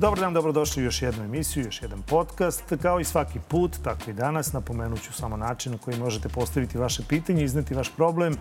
Dobar dan, dobrodošli u još jednu emisiju, još jedan podcast. Kao i svaki put, tako i danas, napomenut ću samo način na koji možete postaviti vaše pitanje, izneti vaš problem,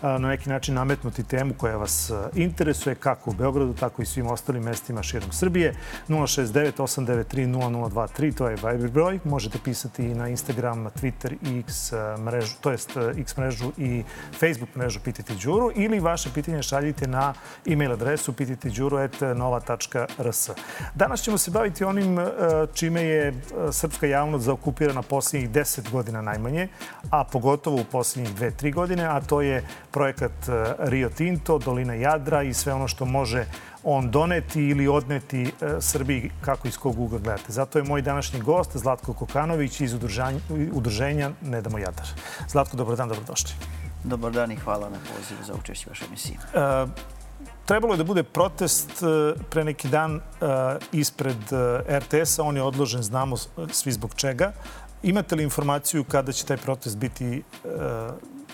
na neki način nametnuti temu koja vas interesuje, kako u Beogradu, tako i svim ostalim mestima širom Srbije. 069-893-0023, to je Viber broj. Možete pisati i na Instagram, Twitter i X mrežu, to jest X mrežu i Facebook mrežu Pitajte Đuru, ili vaše pitanje šaljite na e-mail adresu pitajteđuru@nova.rs. Danas ćemo se baviti onim čime je srpska javnost zaokupirana posljednjih 10 godina najmanje, a pogotovo u posljednjih 2-3 godine, a to je projekat Rio Tinto, Dolina Jadra i sve ono što može on doneti ili odneti Srbiji, kako iz kog ugla gledate. Zato je moj današnji gost Zlatko Kokanović iz udruženja Ne damo Jadar. Zlatko, dobar dan, dobrodošli. Dobar dan i hvala na pozivu za učešće u vašoj emisiji. Trebalo je da bude protest pre neki dan ispred RTS-a. On je odložen, znamo svi zbog čega. Imate li informaciju kada će taj protest biti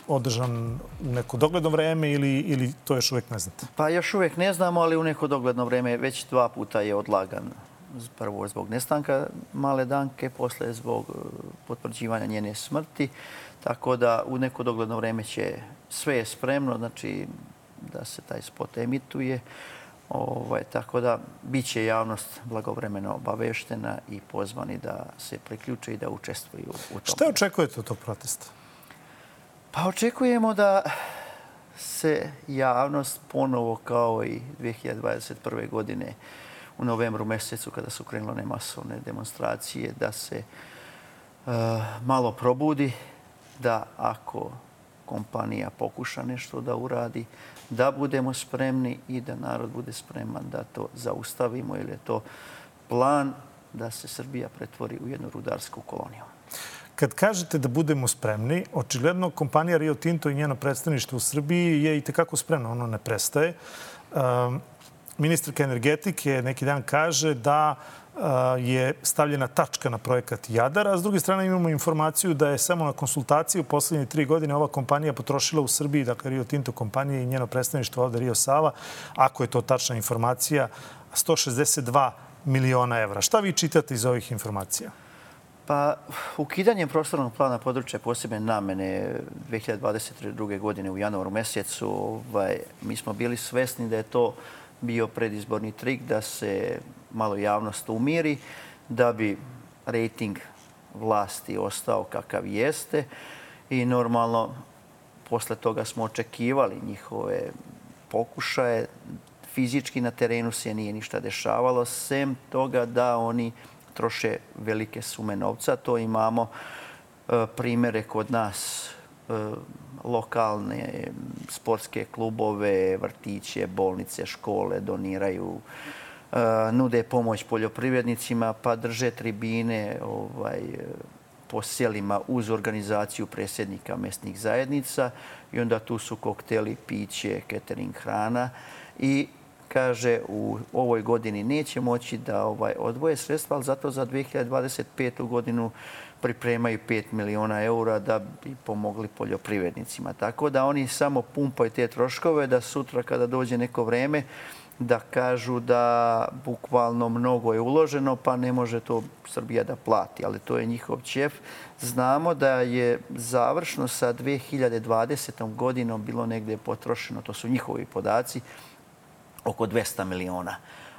održan u neko dogledno vreme ili to još uvek ne znate? Pa još uvek ne znamo, ali u neko dogledno vreme već 2 puta je odlagan. Prvo zbog nestanka male Danke, posle zbog potvrđivanja njene smrti. Tako da u neko dogledno vreme će sve je spremno, znači da se taj spot emituje. Tako da bit će javnost blagovremeno obaveštena i pozvani da se priključe i da učestvuju u tom. Šta očekujete od tog protesta? Pa očekujemo da se javnost ponovo kao i 2021. godine u novembru mjesecu kada su krenule one masovne demonstracije, da se malo probudi, da ako kompanija pokuša nešto da uradi, da budemo spremni i da narod bude spreman da to zaustavimo, jer je to plan da se Srbija pretvori u jednu rudarsku koloniju. Kad kažete da budemo spremni, očigledno kompanija Rio Tinto i njeno predstavništvo u Srbiji je i tekako spremno, ono ne prestaje. Ministarka energetike neki dan kaže da je stavljena tačka na projekat Jadar, a s druge strane imamo informaciju da je samo na konsultaciji u posljednje 3 godine ova kompanija potrošila u Srbiji, dakle Rio Tinto kompanija i njeno predstavništvo ovde Rio Sava, ako je to tačna informacija, 162 miliona evra. Šta vi čitate iz ovih informacija? Pa, ukidanjem prostornog plana područja posebne namene 2022. godine u januaru mjesecu, mi smo bili svesni da je to bio predizborni trik da se malo javnost umiri, da bi rejting vlasti ostao kakav jeste i normalno posle toga smo očekivali njihove pokušaje. Fizički na terenu se nije ništa dešavalo, sem toga da oni troše velike sume novca. To imamo primere kod nas, lokalne sportske klubove, vrtiće, bolnice, škole doniraju, nude pomoć poljoprivrednicima, pa drže tribine po selima uz organizaciju predsjednika mesnih zajednica i onda tu su kokteli, piće, catering, hrana i kaže u ovoj godini neće moći da odvoje sredstva, ali zato za 2025. godinu pripremaju 5 miliona eura da bi pomogli poljoprivrednicima. Tako da oni samo pumpaju te troškove da sutra kada dođe neko vreme da kažu da bukvalno mnogo je uloženo pa ne može to Srbija da plati. Ali to je njihov ćef. Znamo da je završno sa 2020. godinom bilo negdje potrošeno, to su njihovi podaci, oko 200 miliona.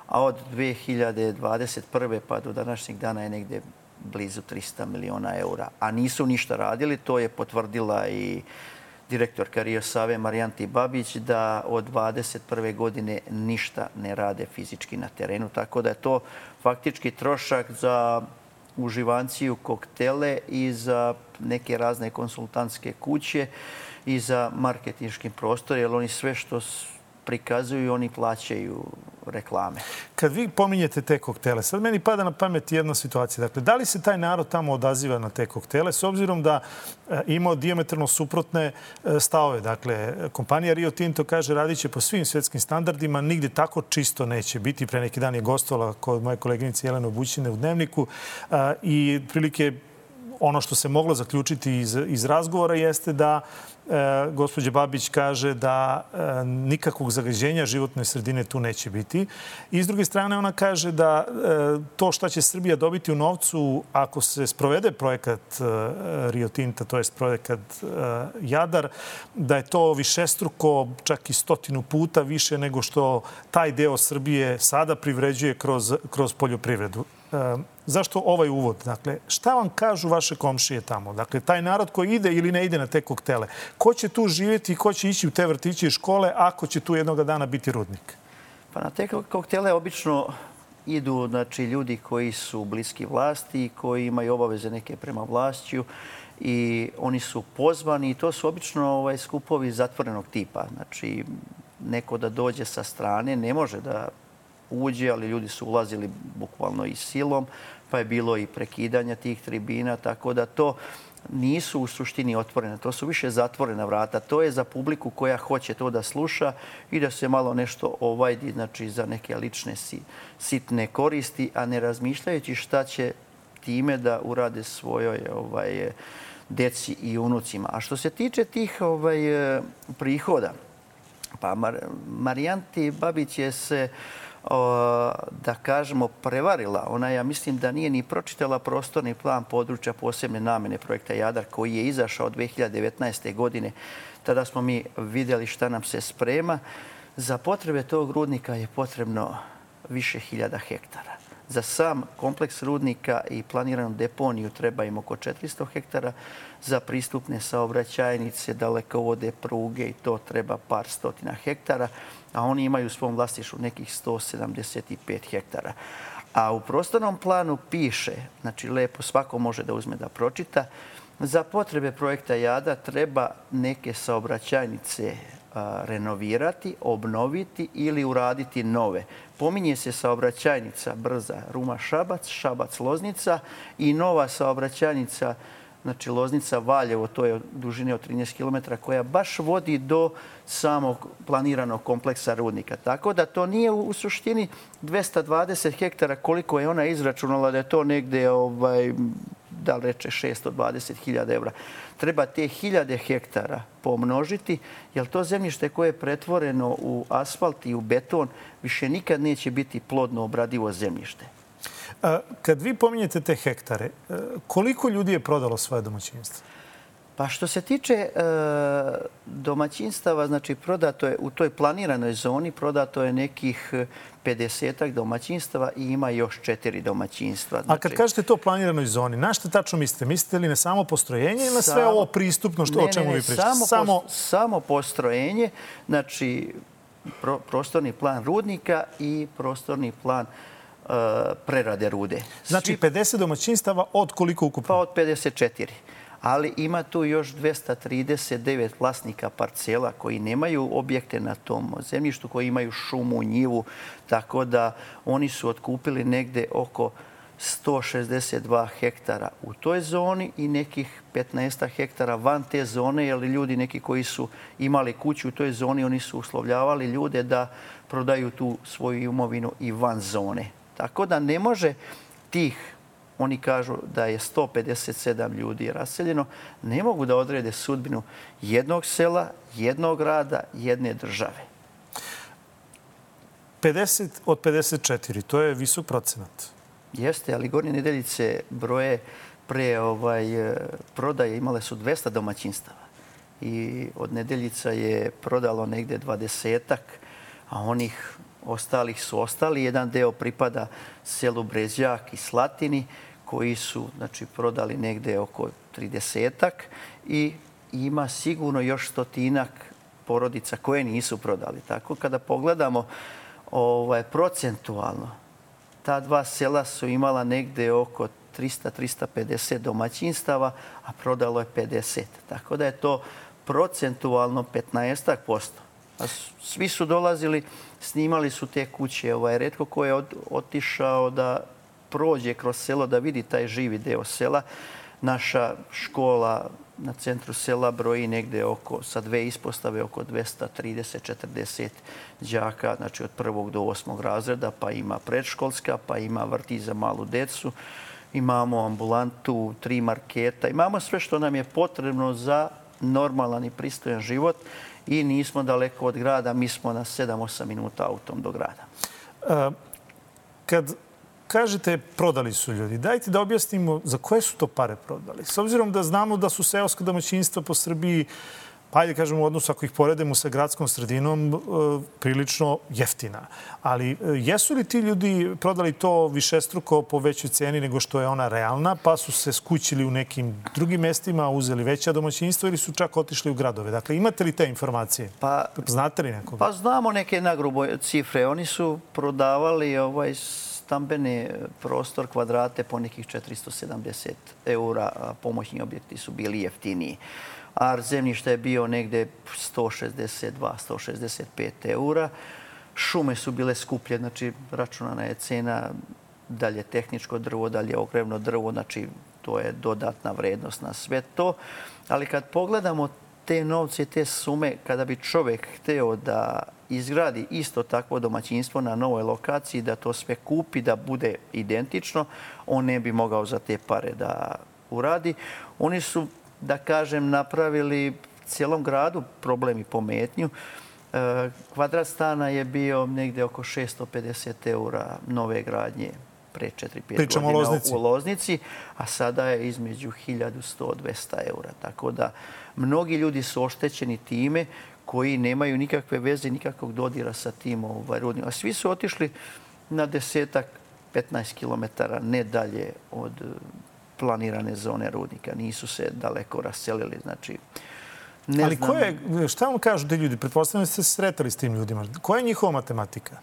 A od 2021. pa do današnjeg dana je negdje blizu 300 miliona eura. A nisu ništa radili, to je potvrdila i direktorka Rio Save Marijanti Babić da od 2021. godine ništa ne rade fizički na terenu. Tako da je to faktički trošak za uživanciju, koktele i za neke razne konsultantske kuće i za marketinški prostor, jer oni sve što prikazuju i oni plaćaju reklame. Kad vi pominjete te koktele, sad meni pada na pamet jedna situacija. Dakle, da li se taj narod tamo odaziva na te koktele s obzirom da ima dijametralno suprotne stavove? Dakle, kompanija Rio Tinto kaže radit će po svim svjetskim standardima, nigde tako čisto neće biti. Pre neki dan je gostovala kod moje koleginice Jelene Obućine u Dnevniku i prilike ono što se moglo zaključiti iz razgovora jeste da gospođa Babić kaže da nikakvog zagađenja životne sredine tu neće biti. I s druge strane ona kaže da to šta će Srbija dobiti u novcu ako se sprovede projekat Rio Tinta, to je projekat Jadar, da je to višestruko, čak i 100 puta više nego što taj deo Srbije sada privređuje kroz poljoprivredu. Zašto ovaj uvod? Dakle, šta vam kažu vaše komšije tamo? Dakle, taj narod koji ide ili ne ide na te koktele. Ko će tu živjeti i ko će ići u te vrtiće i škole ako će tu jednog dana biti rudnik? Pa na te koktele obično idu ljudi koji su bliski vlasti, koji imaju obaveze neke prema vlašću i oni su pozvani i to su obično skupovi zatvorenog tipa. Znači, neko da dođe sa strane ne može da uđe, ali ljudi su ulazili bukvalno i silom, pa je bilo i prekidanja tih tribina, tako da to nisu u suštini otvorene. To su više zatvorena vrata. To je za publiku koja hoće to da sluša i da se malo nešto ovajdi, znači za neke lične sitne koristi, a ne razmišljajući šta će time da urade svojoj deci i unucima. A što se tiče tih prihoda, pa Marijanti Babić je se da kažemo prevarila. Ona, ja mislim da nije ni pročitala prostorni plan područja posebne namjene projekta Jadar koji je izašao 2019. godine. Tada smo mi vidjeli šta nam se sprema. Za potrebe tog rudnika je potrebno više hiljada hektara. Za sam kompleks rudnika i planiranu deponiju treba im oko 400 hektara. Za pristupne saobraćajnice, dalekovode, pruge i to treba par stotina hektara. A oni imaju u svom vlasništvu nekih 175 hektara. A u prostornom planu piše, znači lepo svako može da uzme da pročita, za potrebe projekta Jadar treba neke saobraćajnice renovirati, obnoviti ili uraditi nove. Pominje se saobraćajnica brza Ruma-Šabac, Šabac-Loznica i nova saobraćajnica, znači Loznica-Valjevo, to je dužine od 13 km, koja baš vodi do samog planiranog kompleksa rudnika. Tako da to nije u suštini 220 hektara koliko je ona izračunala da je to negde, da li reče, 620.000 evra. Treba te hiljade hektara pomnožiti, jer to zemljište koje je pretvoreno u asfalt i u beton više nikad neće biti plodno obradivo zemljište. Kad vi pominjete te hektare, koliko ljudi je prodalo svoje domaćinstvo? Pa što se tiče domaćinstava, znači prodato je u toj planiranoj zoni, prodato je nekih 50-ak domaćinstava i ima još 4 domaćinstva. A kad kažete to planiranoj zoni, na što tačno mislite? Mislite li na samo postrojenje ili na sve ovo pristupno o čemu vi pričate? Samo postrojenje, znači prostorni plan rudnika i prostorni plan prerade rude. Znači 50 domaćinstava od koliko ukupno? Pa od 54. Ali ima tu još 239 vlasnika parcela koji nemaju objekte na tom zemljištu, koji imaju šumu, njivu, tako da oni su otkupili negde oko 162 hektara u toj zoni i nekih 15 hektara van te zone, jer ljudi neki koji su imali kuću u toj zoni, oni su uslovljavali ljude da prodaju tu svoju imovinu i van zone. Tako da ne može tih, oni kažu da je 157 ljudi raseljeno, ne mogu da odrede sudbinu jednog sela, jednog grada, jedne države. 50 od 54, to je visok procenat. Jeste, ali Gornje Nedeljice broje pre prodaje imale su 200 domaćinstava. I od Nedeljica je prodalo negde 20-ak, a onih ostalih su ostali. Jedan deo pripada selu Brezjak i Slatini, koji su prodali negde oko 30-ak i ima sigurno još 100-ak porodica koje nisu prodali. Tako kada pogledamo procentualno, ta dva sela su imala negde oko 300-350 domaćinstava, a prodalo je 50. Tako da je to procentualno 15%. A svi su dolazili, snimali su te kuće. Retko ko je otišao da prođe kroz selo, da vidi taj živi deo sela. Naša škola na centru sela broji negde sa 2 ispostave oko 230-40 đaka, znači od 1. do 8. razreda, pa ima predškolska, pa ima vrtić za malu decu, imamo ambulantu, 3 marketa, imamo sve što nam je potrebno za normalan i pristojan život i nismo daleko od grada, mi smo na 7-8 minuta autom do grada. Kad kažete prodali su ljudi, dajte da objasnimo za koje su to pare prodali. S obzirom da znamo da su seoska domaćinstva po Srbiji, pa ajde kažemo u odnosu ako ih poredemo sa gradskom sredinom, prilično jeftina. Ali jesu li ti ljudi prodali to višestruko po većoj ceni nego što je ona realna, pa su se skućili u nekim drugim mestima, uzeli veća domaćinstva ili su čak otišli u gradove? Dakle, imate li te informacije? Znate li nekoga? Pa znamo neke nagrubo cifre. Oni su prodavali stambeni prostor, kvadrate po nekih 470 €, a pomoćni objekti su bili jeftiniji. A zemljište je bio negde 162-165 €. Šume su bile skuplje, znači računana je cena, dalje tehničko drvo, dalje ogrevno drvo, znači to je dodatna vrednost na sve to. Ali kad pogledamo te novce, te sume, kada bi čovjek hteo da izgradi isto takvo domaćinstvo na novoj lokaciji, da to sve kupi, da bude identično, on ne bi mogao za te pare da uradi. Oni su, da kažem, napravili cijelom gradu problem i pometnju. Kvadrat stana je bio negdje oko 650 € nove gradnje pre 4-5 godina u Loznici, a sada je između 1100-200 €. Tako da mnogi ljudi su oštećeni time koji nemaju nikakve veze, nikakvog dodira sa tim rudnikom. A svi su otišli na 10-15 kilometara, ne dalje od planirane zone rudnika. Nisu se daleko raselili. Znači, ali šta vam kažu ti ljudi? Pretpostavljam da ste se sretali s tim ljudima. Koja je njihova matematika?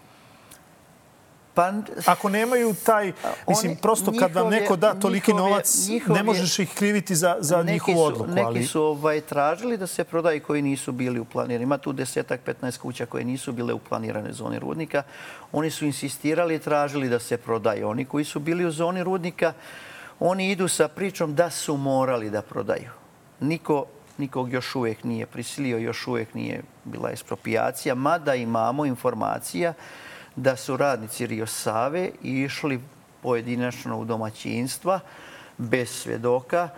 Ako nemaju taj... Mislim, prosto kad vam neko da toliki novac, ne možeš ih kriviti za njihovu odluku. Neki su tražili da se prodaju koji nisu bili u planiranju. Ima tu 10-15 kuća koje nisu bile u planiranoj zoni rudnika. Oni su insistirali i tražili da se prodaju. Oni koji su bili u zoni rudnika, oni idu sa pričom da su morali da prodaju. Nikog još uvijek nije prisilio, još uvijek nije bila eksproprijacija, mada imamo informacija da su radnici Rio Save išli pojedinačno u domaćinstva bez svjedoka,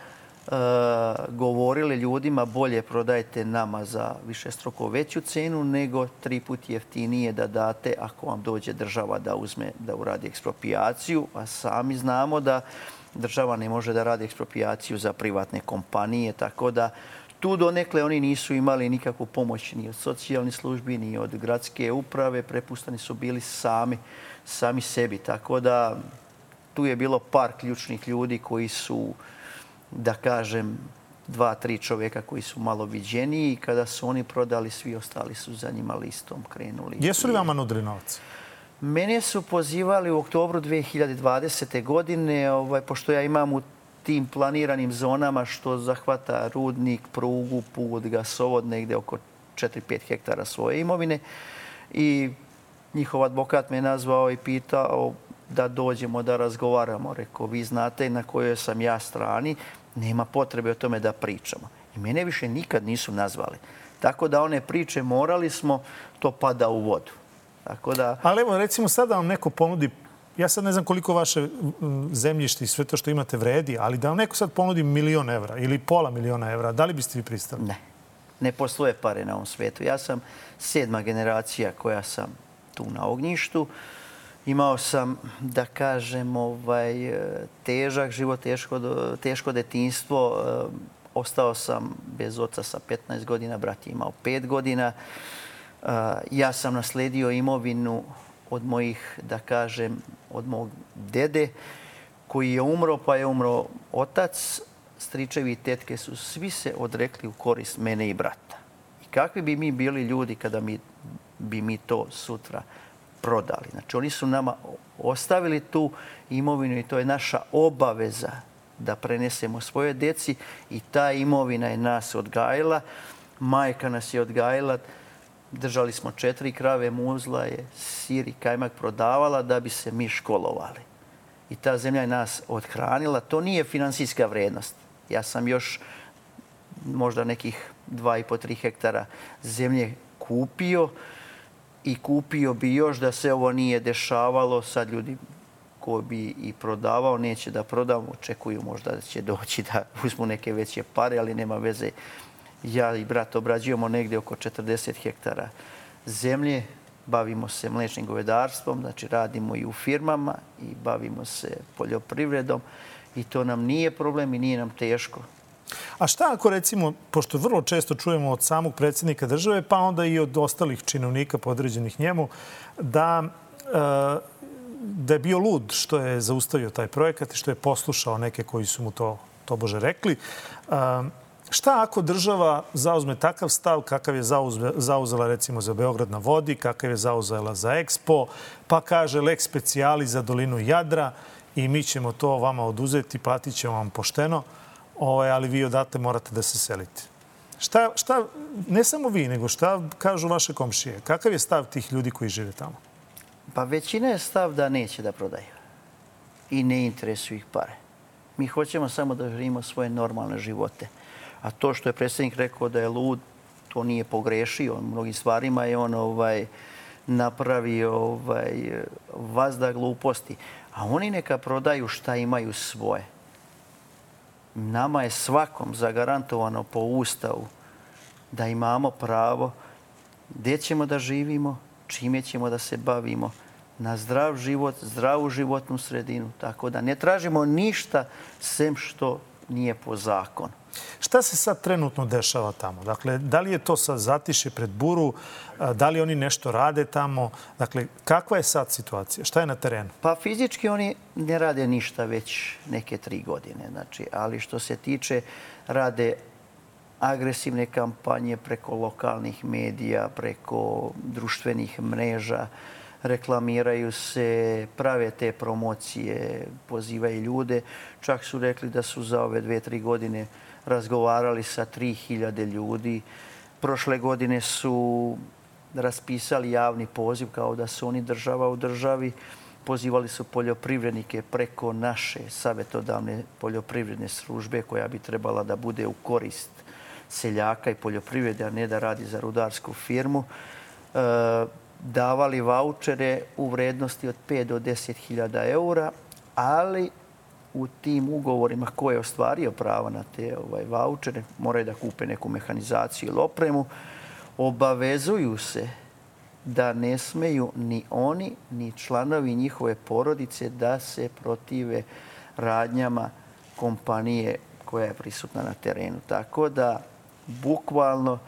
govorili ljudima bolje prodajte nama za višestruko veću cenu nego 3 puta jeftinije da date ako vam dođe država da uzme da uradi eksproprijaciju, a sami znamo da država ne može da radi eksproprijaciju za privatne kompanije, tako da tu donekle oni nisu imali nikakvu pomoć ni od socijalnih službi, ni od gradske uprave. Prepušteni su bili sami sebi. Tako da tu je bilo par ključnih ljudi koji su, da kažem, 2-3 čovjeka koji su malo viđeniji. Kada su oni prodali, svi ostali su za njima listom krenuli. Jesu li vama nudili novac? Mene su pozivali u oktobru 2020. godine, pošto ja imam u tim planiranim zonama što zahvata rudnik, prugu, put, gasovod, negdje oko 4-5 hektara svoje imovine. I njihov advokat me nazvao i pitao da dođemo da razgovaramo. Rekao, vi znate na kojoj sam ja strani, nema potrebe o tome da pričamo. I mene više nikad nisu nazvali. Tako da one priče morali smo, to pada u vodu. Ali evo, recimo sada vam neko ponudi, ja sad ne znam koliko vaše zemljište i sve to što imate vredi, ali da vam neko sad ponudi 1.000.000 € ili $500.000 €, da li biste vi pristali? Ne. Ne postoje pare na ovom svijetu. Ja sam 7. generacija koja sam tu na ognjištu. Imao sam, da kažem, težak život, teško detinjstvo. Ostao sam bez oca sa 15 godina, brat je imao 5 godina. Ja sam nasledio imovinu od mojih, da kažem, od mog dede koji je umro, pa je umro otac. Stričevi i tetke su svi se odrekli u korist mene i brata. I kakvi bi mi bili ljudi kada bi mi to sutra prodali? Znači, oni su nama ostavili tu imovinu i to je naša obaveza da prenesemo svoje deci i ta imovina je nas odgajila. Majka nas je odgajila. Držali smo 4 krave, muzla je, sir i kajmak prodavala da bi se mi školovali. I ta zemlja je nas othranila. To nije finansijska vrednost. Ja sam još možda nekih 2,5-3 hektara zemlje kupio i kupio bi još da se ovo nije dešavalo. Sad ljudi ko bi i prodavao, neće da prodam, očekuju možda da će doći da uzmu neke veće pare, ali nema veze. Ja i brat obrađujemo negdje oko 40 hektara zemlje, bavimo se mliječnim govedarstvom, znači radimo i u firmama i bavimo se poljoprivredom i to nam nije problem i nije nam teško. A šta ako recimo, pošto vrlo često čujemo od samog predsjednika države, pa onda i od ostalih činovnika podređenih njemu, da je bio lud što je zaustavio taj projekat i što je poslušao neke koji su mu to tobože rekli. Šta ako država zauzme takav stav kakav je zauzela recimo za Beograd na vodi, kakav je zauzela za Expo, pa kaže lex speciali za dolinu Jadra i mi ćemo to vama oduzeti, platit ćemo vam pošteno, ali vi odatle morate da se selite. Šta, ne samo vi, nego šta kažu vaše komšije? Kakav je stav tih ljudi koji žive tamo? Pa većina je stav da neće da prodaju i ne interesuju ih pare. Mi hoćemo samo da živimo svoje normalne živote. A to što je predsjednik rekao da je lud, to nije pogrešio. U mnogim stvarima je on napravio vazda gluposti. A oni neka prodaju šta imaju svoje. Nama je svakom zagarantovano po Ustavu da imamo pravo gdje ćemo da živimo, čime ćemo da se bavimo, na zdrav život, zdravu životnu sredinu. Tako da ne tražimo ništa sem što nije po zakonu. Šta se sad trenutno dešava tamo? Dakle, da li je to sad zatiše pred buru? Da li oni nešto rade tamo? Dakle, kakva je sad situacija? Šta je na terenu? Pa fizički oni ne rade ništa već neke 3 godine. Znači, ali što se tiče, rade agresivne kampanje preko lokalnih medija, preko društvenih mreža, reklamiraju se, prave te promocije, pozivaju ljude. Čak su rekli da su za ove 2-3 godine razgovarali sa 3000 ljudi. Prošle godine su raspisali javni poziv kao da su oni država u državi. Pozivali su poljoprivrednike preko naše savjetodavne poljoprivredne službe koja bi trebala da bude u korist seljaka i poljoprivrede, a ne da radi za rudarsku firmu. Davali vaučere u vrednosti od 5 do 10.000 eura, ali u tim ugovorima ko je ostvario pravo na te vaučere, moraju da kupe neku mehanizaciju ili opremu, obavezuju se da ne smeju ni oni, ni članovi njihove porodice da se protive radnjama kompanije koja je prisutna na terenu. Tako da, bukvalno,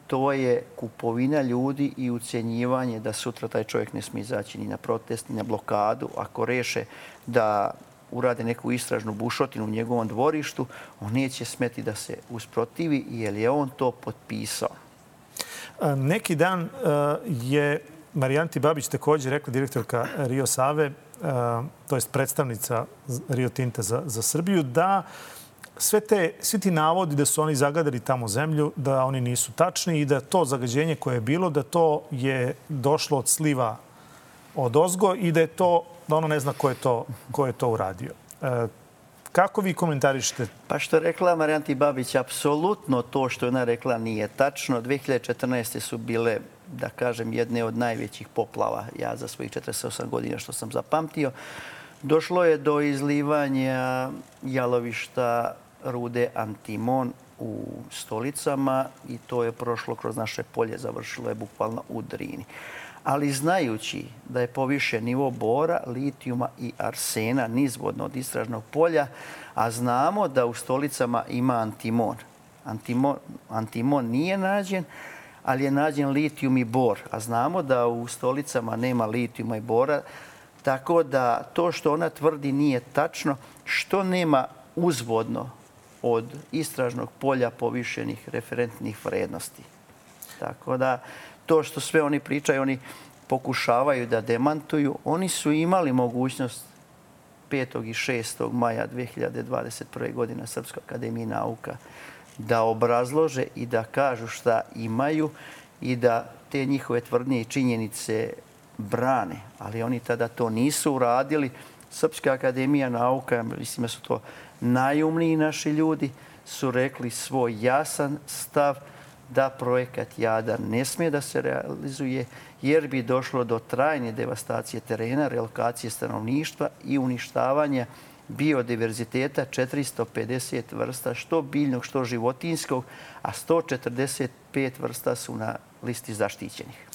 to je kupovina ljudi i ucjenjivanje da sutra taj čovjek ne smije izaći ni na protest, ni na blokadu. Ako reše da urade neku istražnu bušotinu u njegovom dvorištu, on neće smeti da se usprotivi jer je on to potpisao. Neki dan je Marijanti Babić također rekla, direktorka Rio Save, to je predstavnica Rio Tinta za Srbiju, da svi ti navodi da su oni zagadali tamo zemlju, da oni nisu tačni i da to zagađenje koje je bilo, da to je došlo od sliva odozgo i da ono ne zna ko je to uradio. Kako vi komentarišete? Pa što je rekla Marijanti Babić, apsolutno to što je ona rekla nije tačno. 2014. su bile, da kažem, jedne od najvećih poplava, ja za svojih 48 godina što sam zapamtio. Došlo je do izlivanja jalovišta rude antimon u Stolicama i to je prošlo kroz naše polje, završilo je bukvalno u Drini. Ali znajući da je povišen nivo bora, litijuma i arsena nizvodno od istražnog polja, a znamo da u Stolicama ima antimon. Antimon nije nađen, ali je nađen litijum i bor. A znamo da u Stolicama nema litijuma i bora, tako da to što ona tvrdi nije tačno, što nema uzvodno od istražnog polja povišenih referentnih vrednosti. Tako da to što sve oni pričaju, oni pokušavaju da demantuju. Oni su imali mogućnost 5. i 6. maja 2021. godine na Srpskoj akademiji nauka da obrazlože i da kažu šta imaju i da te njihove tvrdnje i činjenice brane, ali oni tada to nisu uradili. Srpska akademija nauka, mislim da su to najumniji naši ljudi, su rekli svoj jasan stav da projekat Jadar ne smije da se realizuje jer bi došlo do trajne devastacije terena, relokacije stanovništva i uništavanja biodiverziteta 450 vrsta, što biljnog, što životinjskog, a 145 vrsta su na listi zaštićenih.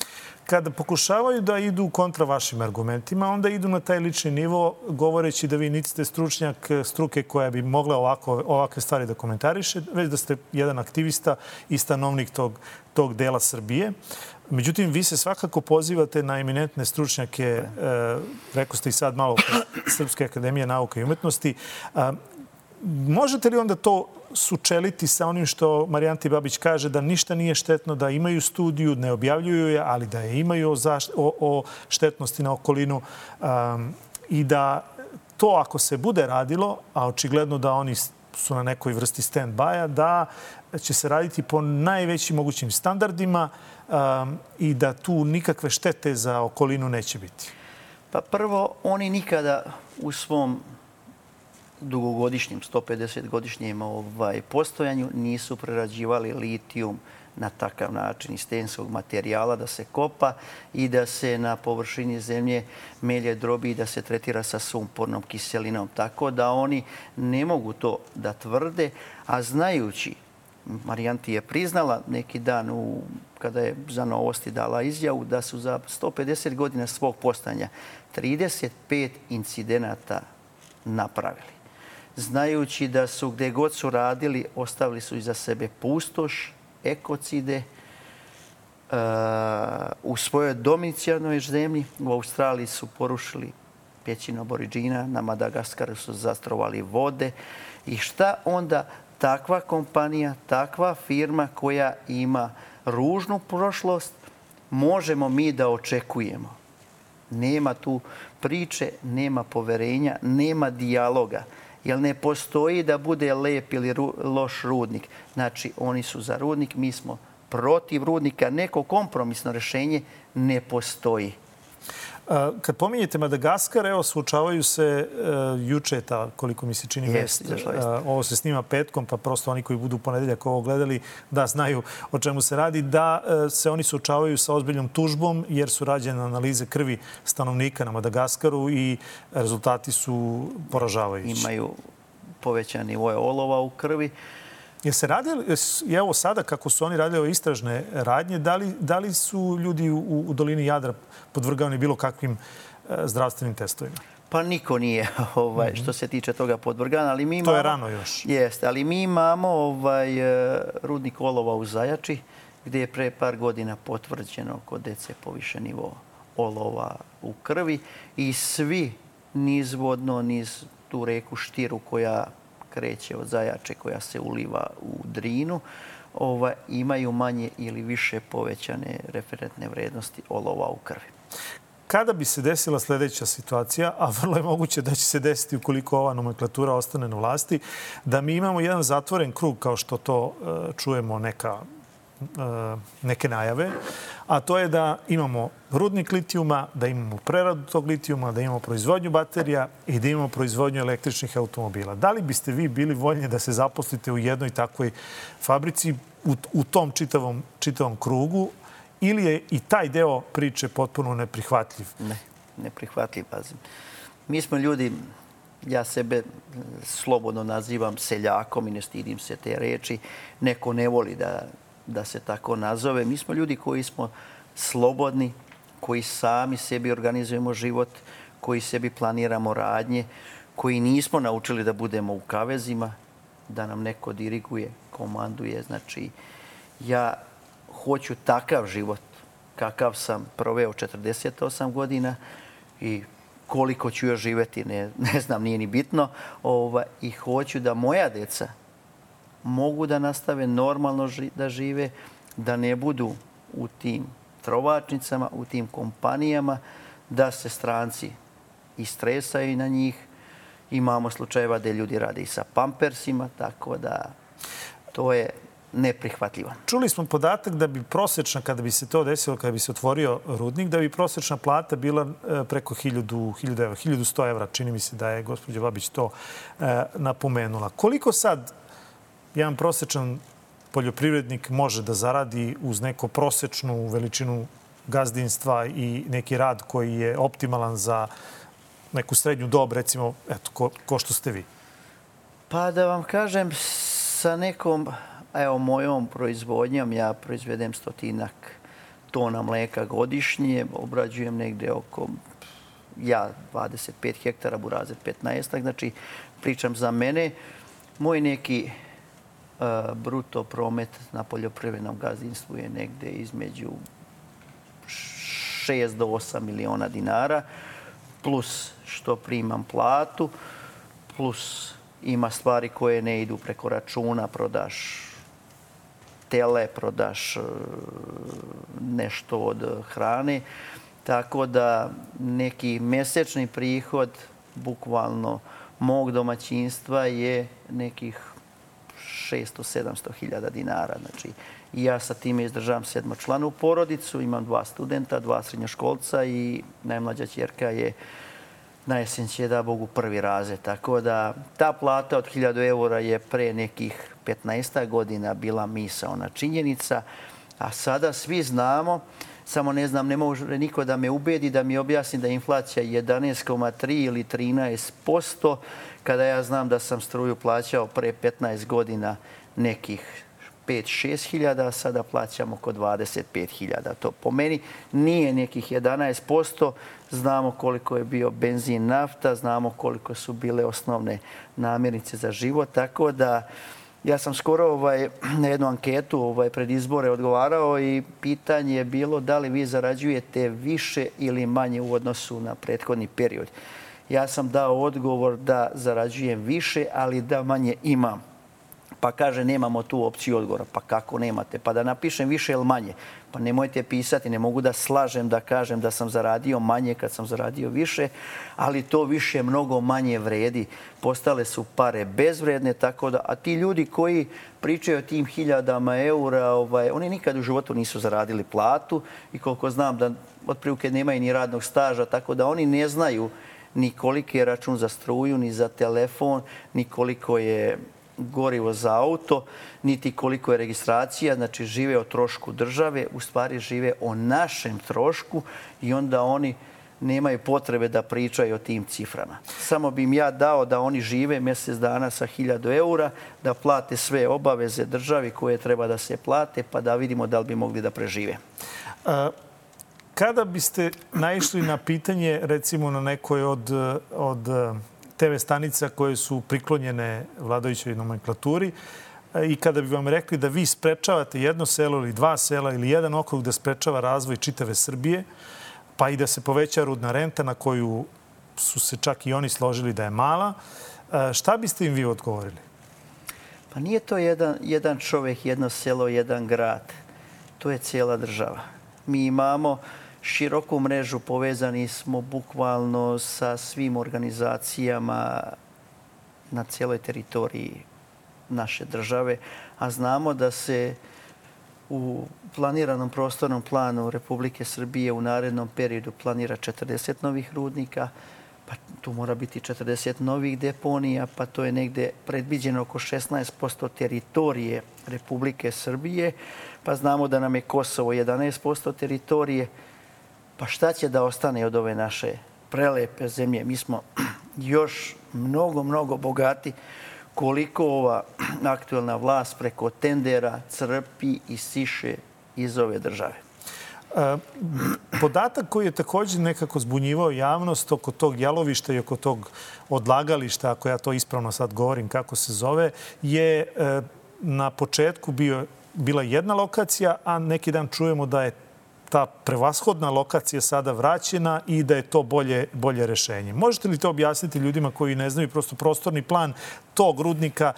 Kada pokušavaju da idu kontra vašim argumentima, onda idu na taj lični nivo govoreći da vi niti ste stručnjak struke koja bi mogla ovakve stvari da komentariše, već da ste jedan aktivista i stanovnik tog dela Srbije. Međutim, vi se svakako pozivate na eminentne stručnjake, rekao ste i sad malo Srpske akademije nauka i umetnosti. Možete li onda to sučeliti sa onim što Marijanti Babić kaže, da ništa nije štetno, da imaju studiju, ne objavljuju je, ali da je imaju o štetnosti na okolinu i da to ako se bude radilo, a očigledno da oni su na nekoj vrsti stand-by-a, da će se raditi po najvećim mogućim standardima i da tu nikakve štete za okolinu neće biti? Pa prvo, oni nikada u svom dugogodišnjem, 150-godišnjem postojanju nisu prerađivali litijum na takav način iz stenskog materijala da se kopa i da se na površini zemlje melje drobi i da se tretira sa sumpornom kiselinom. Tako da oni ne mogu to da tvrde, a znajući, Marijanti je priznala neki dan kada je za Novosti dala izjavu da su za 150 godina svog postojanja 35 incidenata napravili. Znajući da su gdje god su radili, ostavili su iza sebe pustoš, ekocide. U svojoj domicijalnoj zemlji u Australiji su porušili pećinu Aboriđina, na Madagaskaru su zastrovali vode. I šta onda takva kompanija, takva firma koja ima ružnu prošlost, možemo mi da očekujemo? Nema tu priče, nema poverenja, nema dijaloga. Jer ne postoji da bude lep ili loš rudnik. Znači, oni su za rudnik, mi smo protiv rudnika. Neko kompromisno rješenje ne postoji. Kad pominjete Madagaskar, evo, suočavaju se juče, koliko mi se čini vest. Ovo se snima petkom, pa prosto oni koji budu u ponedeljak ovo gledali da znaju o čemu se radi, da se oni suočavaju sa ozbiljnom tužbom jer su rađene analize krvi stanovnika na Madagaskaru i rezultati su poražavajući. Imaju povećan nivo olova u krvi. Je se radili, evo sada kako su oni radili istražne radnje, da li su ljudi u dolini Jadra podvrgavani bilo kakvim zdravstvenim testovima? Pa niko nije što se tiče toga podvrgan, ali mi imamo... To je rano još. Jeste, ali mi imamo rudnik olova u Zajači, gdje je pre par godina potvrđeno kod dece povišen nivo olova u krvi i svi nizvodno, niz tu reku Štiru koja kreće od Zajače, koja se uliva u Drinu, imaju manje ili više povećane referentne vrednosti olova u krvi. Kada bi se desila sljedeća situacija, a vrlo je moguće da će se desiti ukoliko ova nomenklatura ostane na vlasti, da mi imamo jedan zatvoren krug, kao što to čujemo neke najave, a to je da imamo rudnik litijuma, da imamo preradu tog litijuma, da imamo proizvodnju baterija i da imamo proizvodnju električnih automobila. Da li biste vi bili voljni da se zaposlite u jednoj takvoj fabrici, u tom čitavom krugu, ili je i taj deo priče potpuno neprihvatljiv? Ne, neprihvatljiv. Mi smo ljudi, ja sebe slobodno nazivam seljakom i ne stidim se te reči. Neko ne voli da se tako nazove. Mi smo ljudi koji smo slobodni, koji sami sebi organizujemo život, koji sebi planiramo radnje, koji nismo naučili da budemo u kavezima, da nam neko diriguje, komanduje. Znači, ja hoću takav život kakav sam proveo 48 godina i koliko ću još živjeti, ne znam, nije ni bitno. I hoću da moja deca mogu da nastave normalno da žive, da ne budu u tim trovačnicama, u tim kompanijama, da se stranci istresaju na njih. Imamo slučajeva da ljudi rade i sa pampersima, tako da to je neprihvatljiva. Čuli smo podatak da bi prosječna, kada bi se to desilo, kada bi se otvorio rudnik, da bi prosječna plata bila preko 1100 evra. Čini mi se da je gospođa Babić to napomenula. Koliko sad jedan prosječan poljoprivrednik može da zaradi uz neku prosječnu veličinu gazdinstva i neki rad koji je optimalan za neku srednju dob, recimo, eto, ko što ste vi? Pa da vam kažem, sa nekom, evo, mojom proizvodnjom, ja proizvedem 100 tona mleka godišnje, obrađujem negde oko, ja 25 hektara, Burazer 15, znači pričam za mene. Moj neki bruto promet na poljoprivrednom gazdinstvu je negde između 6 do 8 miliona dinara, plus što primam platu, plus ima stvari koje ne idu preko računa, prodaš tele, prodaš nešto od hrane. Tako da neki mesečni prihod bukvalno mog domaćinstva je nekih 600-700 hiljada dinara. Znači, ja sa time izdržavam 7-članu porodicu, imam 2 studenta, 2 srednjoškolca i najmlađa ćerka je na jesen će, da Bogu, 1. razred. Tako da ta plata od 1000 eura je pre nekih 15 godina bila misaona činjenica, a sada svi znamo, samo ne znam, ne može niko da me ubedi, da mi objasni da je inflacija 11,3 ili 13%, kada ja znam da sam struju plaćao pre 15 godina nekih 5-6 hiljada, a sada plaćamo oko 25 hiljada. To po meni nije nekih 11%. Znamo koliko je bio benzin, nafta, znamo koliko su bile osnovne namirnice za život. Tako da ja sam skoro na jednu anketu pred izbore odgovarao i pitanje je bilo da li vi zarađujete više ili manje u odnosu na prethodni period. Ja sam dao odgovor da zarađujem više, ali da manje imam. Pa kaže, nemamo tu opciju odgovora. Pa kako nemate? Pa da napišem više ili manje? Pa nemojte pisati, ne mogu da slažem da kažem da sam zaradio manje kad sam zaradio više, ali to više mnogo manje vredi. Postale su pare bezvredne, tako da, a ti ljudi koji pričaju o tim 1000 eura, oni nikad u životu nisu zaradili platu i koliko znam da otprilike nemaju ni radnog staža, tako da oni ne znaju ni koliki je račun za struju, ni za telefon, ni koliko je gorivo za auto, niti koliko je registracija. Znači, žive o trošku države, u stvari žive o našem trošku i onda oni nemaju potrebe da pričaju o tim ciframa. Samo bi im ja dao da oni žive mjesec dana sa 1000 eura, da plate sve obaveze državi koje treba da se plate, pa da vidimo da li bi mogli da prežive. Kada biste naišli na pitanje, recimo na nekoj od TV stanica koje su priklonjene vladajućoj nomenklaturi i kada bi vam rekli da vi sprečavate jedno selo ili 2 sela ili jedan okrug da sprečava razvoj čitave Srbije, pa i da se poveća rudna renta na koju su se čak i oni složili da je mala, šta biste im vi odgovorili? Pa nije to jedan čovjek, jedno selo, jedan grad. To je cijela država. Mi imamo široku mrežu, povezani smo bukvalno sa svim organizacijama na cijeloj teritoriji naše države, a znamo da se u planiranom prostornom planu Republike Srbije u narednom periodu planira 40 novih rudnika, pa tu mora biti 40 novih deponija, pa to je negde predviđeno oko 16% teritorije Republike Srbije, pa znamo da nam je Kosovo 11% teritorije. Pa šta će da ostane od ove naše prelepe zemlje? Mi smo još mnogo bogati koliko ova aktuelna vlast preko tendera crpi i siše iz ove države. Podatak koji je također nekako zbunjivao javnost oko tog jalovišta i oko tog odlagališta, ako ja to ispravno sad govorim kako se zove, je na početku bila jedna lokacija, a neki dan čujemo da je ta prevashodna lokacija sada vraćena i da je to bolje rešenje. Možete li to objasniti ljudima koji ne znaju prosto prostorni plan tog rudnika,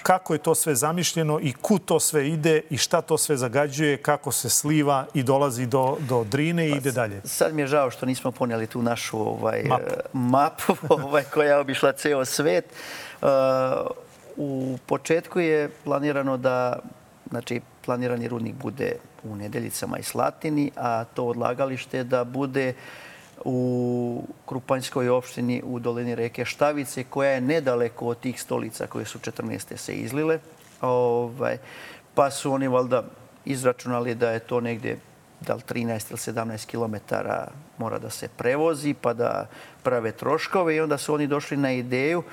kako je to sve zamišljeno i kud to sve ide i šta to sve zagađuje, kako se sliva i dolazi do Drine i ide dalje? Sad mi je žao što nismo ponijeli tu našu mapu koja je obišla ceo svet. U početku je planirano da znači planirani rudnik bude u Nedeljicama i Slatini, a to odlagalište da bude u Krupanjskoj opštini u dolini reke Štavice, koja je nedaleko od tih stolica koje su 14. se izlile. Pa su oni valjda izračunali da je to negdje da li 13 ili 17 kilometara mora da se prevozi pa da prave troškove i onda su oni došli na ideju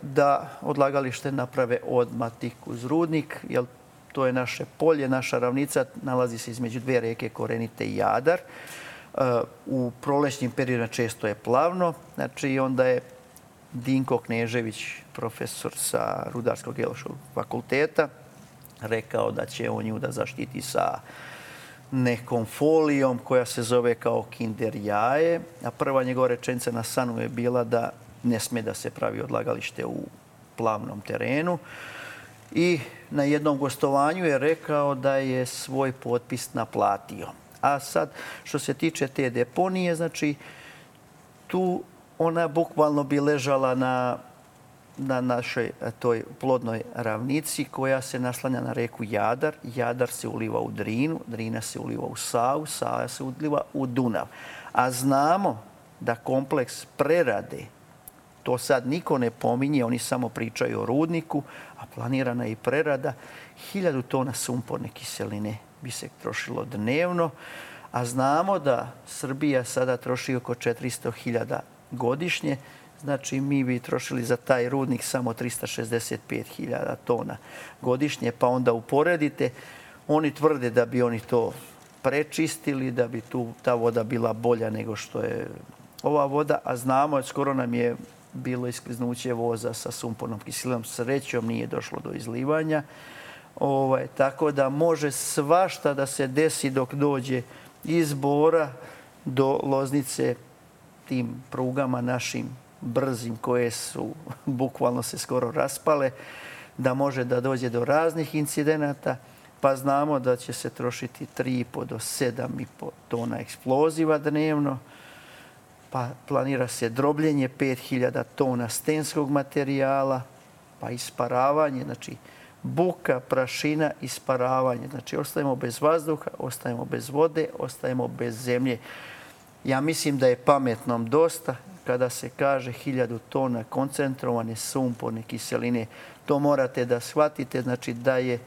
da odlagalište naprave odmah tik uz rudnik, jer to je naše polje, naša ravnica, nalazi se između dvije reke Korenite i Jadar. U prolećnim periodima često je plavno, znači onda je Dinko Knežević, profesor sa Rudarsko-geološkog fakulteta, rekao da će on nju da zaštiti sa nekom folijom koja se zove kao kinder jaje, a prva njegova rečenica na Sanu je bila da ne sme da se pravi odlagalište u plavnom terenu. I na jednom gostovanju je rekao da je svoj potpis naplatio. A sad, što se tiče te deponije, znači, tu ona bukvalno bi ležala na našoj toj plodnoj ravnici koja se naslanja na reku Jadar. Jadar se uliva u Drinu, Drina se uliva u Savu, Sava se uliva u Dunav. A znamo da kompleks prerade, to sad niko ne pominje, oni samo pričaju o rudniku, a planirana je i prerada, 1000 tona sumporne kiseline bi se trošilo dnevno, a znamo da Srbija sada troši oko 400.000 godišnje, znači mi bi trošili za taj rudnik samo 365.000 tona godišnje, pa onda uporedite. Oni tvrde da bi oni to prečistili, da bi ta voda bila bolja nego što je ova voda, a znamo, skoro nam je bilo iskliznuće voza sa sumpornom kiselinom. Srećom nije došlo do izlivanja. Tako da može svašta da se desi dok dođe iz Bora do Loznice tim prugama našim brzim koje su bukvalno se skoro raspale, da može da dođe do raznih incidenata, pa znamo da će se trošiti 3,5 do 7,5 tona eksploziva dnevno, pa planira se drobljenje 5.000 tona stenskog materijala, pa isparavanje, znači buka, prašina, isparavanje. Znači ostajemo bez vazduha, ostajemo bez vode, ostajemo bez zemlje. Ja mislim da je pametnom dosta kada se kaže 1000 tona koncentrovane sumporne kiseline. To morate da shvatite, znači da je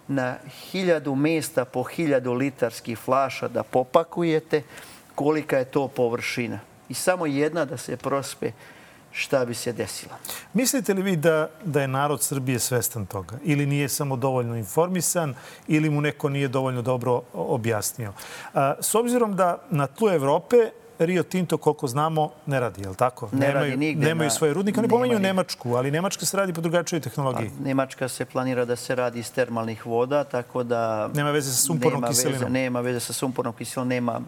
na 1000 mjesta po 1000 litarskih flaša da popakujete, kolika je to površina. I samo jedna da se prospe, šta bi se desilo. Mislite li vi da je narod Srbije svestan toga? Ili nije samo dovoljno informisan, ili mu neko nije dovoljno dobro objasnio? S obzirom da na tlu Evrope Rio Tinto, koliko znamo, ne radi, je li tako? Ne radi nigde. Nemaju svoje rudnike. Oni pomenju Nemačku, ali Nemačka se radi po drugačijoj tehnologiji. Nemačka se planira da se radi iz termalnih voda, tako da... Nema veze sa sumpornom kiselinom. Nema veze sa sumpornom kiselinom, nema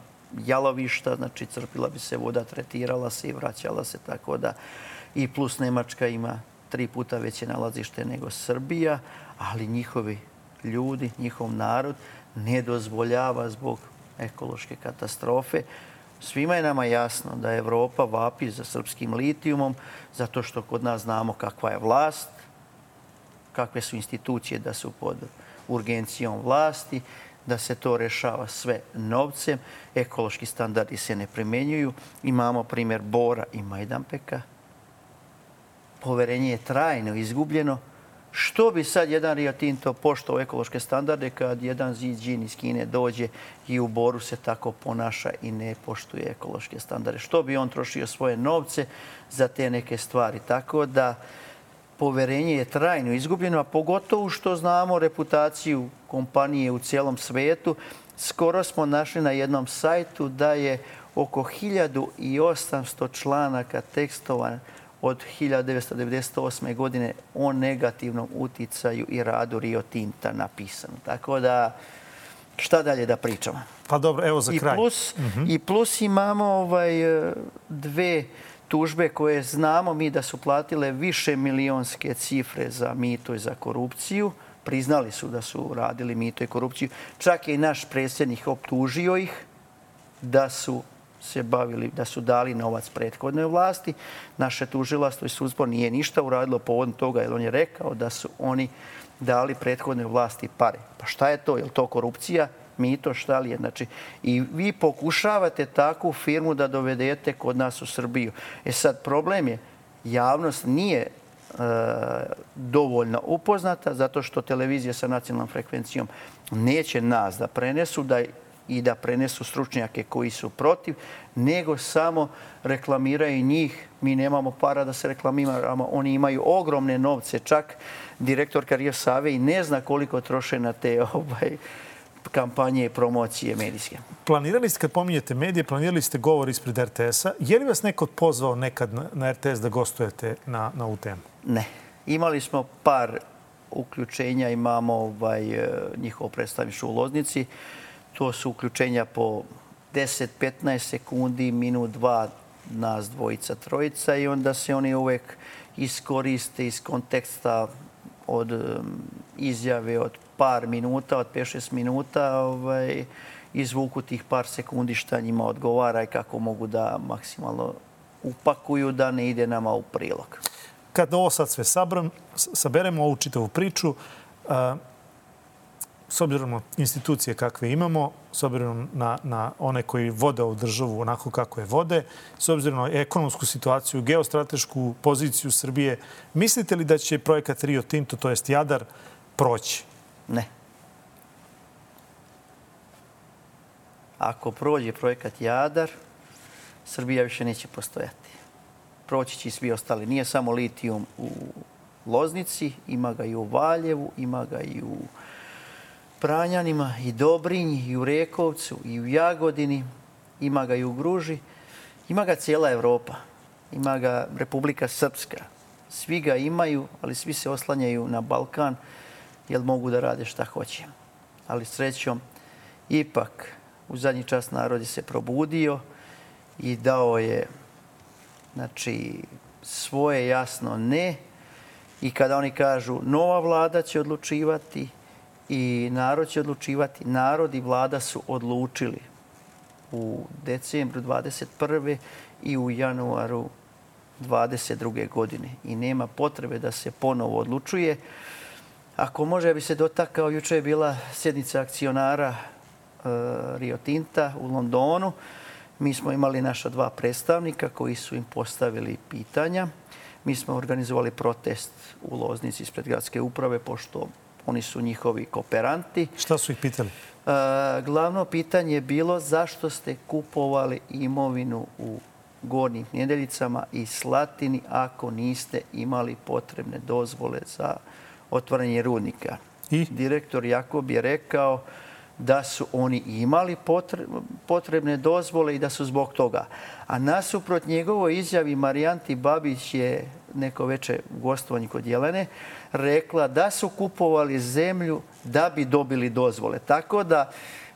jalovišta, znači crpila bi se voda, tretirala se i vraćala se, tako da i plus Nemačka ima 3 puta veće nalazište nego Srbija, ali njihovi ljudi, njihov narod ne dozvoljava zbog ekološke katastrofe. Svima je nama jasno da Evropa vapi za srpskim litijumom, zato što kod nas znamo kakva je vlast, kakve su institucije da su pod urgencijom vlasti, da se to rešava sve novcem, ekološki standardi se ne primenjuju. Imamo primjer Bora i Majdanpeka. Poverenje je trajno izgubljeno. Što bi sad jedan Rio Tinto poštovao ekološke standarde kad jedan Ziđin iz Kine dođe i u Boru se tako ponaša i ne poštuje ekološke standarde? Što bi on trošio svoje novce za te neke stvari? Tako da poverenje je trajno izgubljeno, a pogotovo što znamo reputaciju kompanije u cijelom svijetu. Skoro smo našli na jednom sajtu da je oko 1800 članaka tekstova od 1998. godine o negativnom uticaju i radu Rio Tinta napisano. Tako da, šta dalje da pričamo? Pa dobro, evo za kraj. I plus imamo 2 tužbe koje znamo mi da su platile više milionske cifre za mito i za korupciju. Priznali su da su radili mito i korupciju. Čak je i naš predsjednik optužio ih da su se bavili, da su dali novac prethodnoj vlasti. Naše tužilaštvo i sudstvo nije ništa uradilo povodom toga, jer on je rekao da su oni dali prethodnoj vlasti pare. Pa šta je to? Je li to korupcija? Mito, šta li je? Znači, i vi pokušavate takvu firmu da dovedete kod nas u Srbiju. Sad, problem je, javnost nije dovoljno upoznata zato što televizija sa nacionalnom frekvencijom neće nas da prenesu i da prenesu stručnjake koji su protiv, nego samo reklamiraju njih. Mi nemamo para da se reklamiramo. Oni imaju ogromne novce. Čak direktorka Rio Save i ne zna koliko troše na te kampanje i promocije medijske. Planirali ste, kad pominjete medije, planirali ste govor ispred RTS-a. Je li vas neko pozvao nekad na RTS da gostujete na ovu temu? Ne. Imali smo par uključenja. Imamo njihovo predstavništvo u Loznici. To su uključenja po 10-15 sekundi, minut, dva, nas dvojica, trojica i onda se oni uvek iskoriste iz konteksta od izjave od par minuta, od 5-6 minuta, izvuku tih par sekundi šta njima odgovara i kako mogu da maksimalno upakuju da ne ide nama u prilog. Kad ovo sad sve saberemo, ovu čitavu priču, s obzirom na institucije kakve imamo, s obzirom na one koji vode ovu državu onako kako je vode, s obzirom na ekonomsku situaciju, geostratešku poziciju Srbije, mislite li da će projekat Rio Tinto, to jest Jadar, proći? Ne. Ako prođe projekat Jadar, Srbija više neće postojati. Proći će i svi ostali. Nije samo litijum u Loznici, ima ga i u Valjevu, ima ga i u Pranjanima, i Dobrinji, i u Rekovcu, i u Jagodini, ima ga i u Gruži, ima ga cijela Evropa, ima ga Republika Srpska. Svi ga imaju, ali svi se oslanjaju na Balkan jer mogu da rade šta hoće. Ali srećom, ipak u zadnji čas narod je se probudio i dao je svoje jasno ne. I kada oni kažu nova vlada će odlučivati i narod će odlučivati, narod i vlada su odlučili u decembru 21. i u januaru 22. godine. I nema potrebe da se ponovo odlučuje. Ako može, ja bi se dotakao, juče je bila sjednica akcionara Rio Tinta u Londonu. Mi smo imali naša dva predstavnika koji su im postavili pitanja. Mi smo organizovali protest u Loznici ispred gradske uprave, pošto oni su njihovi kooperanti. Šta su ih pitali? Glavno pitanje je bilo zašto ste kupovali imovinu u Gornjim Nedeljicama i Slatini ako niste imali potrebne dozvole za otvaranje rudnika. I? Direktor Jakob je rekao da su oni imali potrebne dozvole i da su zbog toga. A nasuprot njegovoj izjavi Marijanti Babić je neko večer u gostovanju kod Jelene rekla da su kupovali zemlju da bi dobili dozvole. Tako da,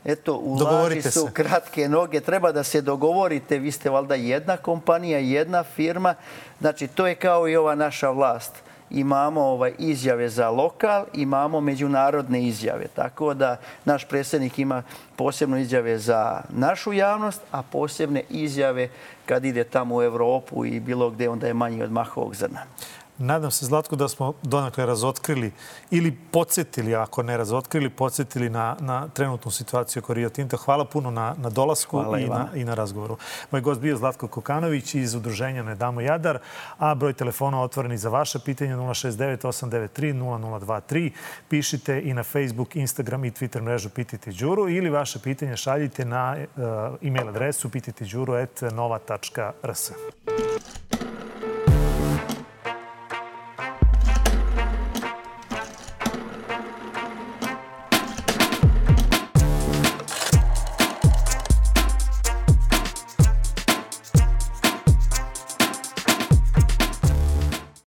eto, u laži su kratke noge. Treba da se dogovorite. Vi ste valjda jedna kompanija, jedna firma. Znači, to je kao i ova naša vlast. Imamo izjave za lokal, imamo međunarodne izjave. Tako da naš predsjednik ima posebno izjave za našu javnost, a posebne izjave kad ide tamo u Evropu i bilo gde, onda je manji od mahovog zrna. Nadam se, Zlatko, da smo donekle razotkrili ili podsjetili, ako ne razotkrili, podsjetili na trenutnu situaciju oko Rio Tinta. Hvala puno na dolasku i na razgovoru. Moj gost bio Zlatko Kokanović iz udruženja Ne damo Jadar, a broj telefona otvoreni za vaše pitanje 069 893 0023. Pišite i na Facebook, Instagram i Twitter mrežu Pitajte Đuru ili vaše pitanje šaljite na e-mail adresu pitajteđuru@nova.rs.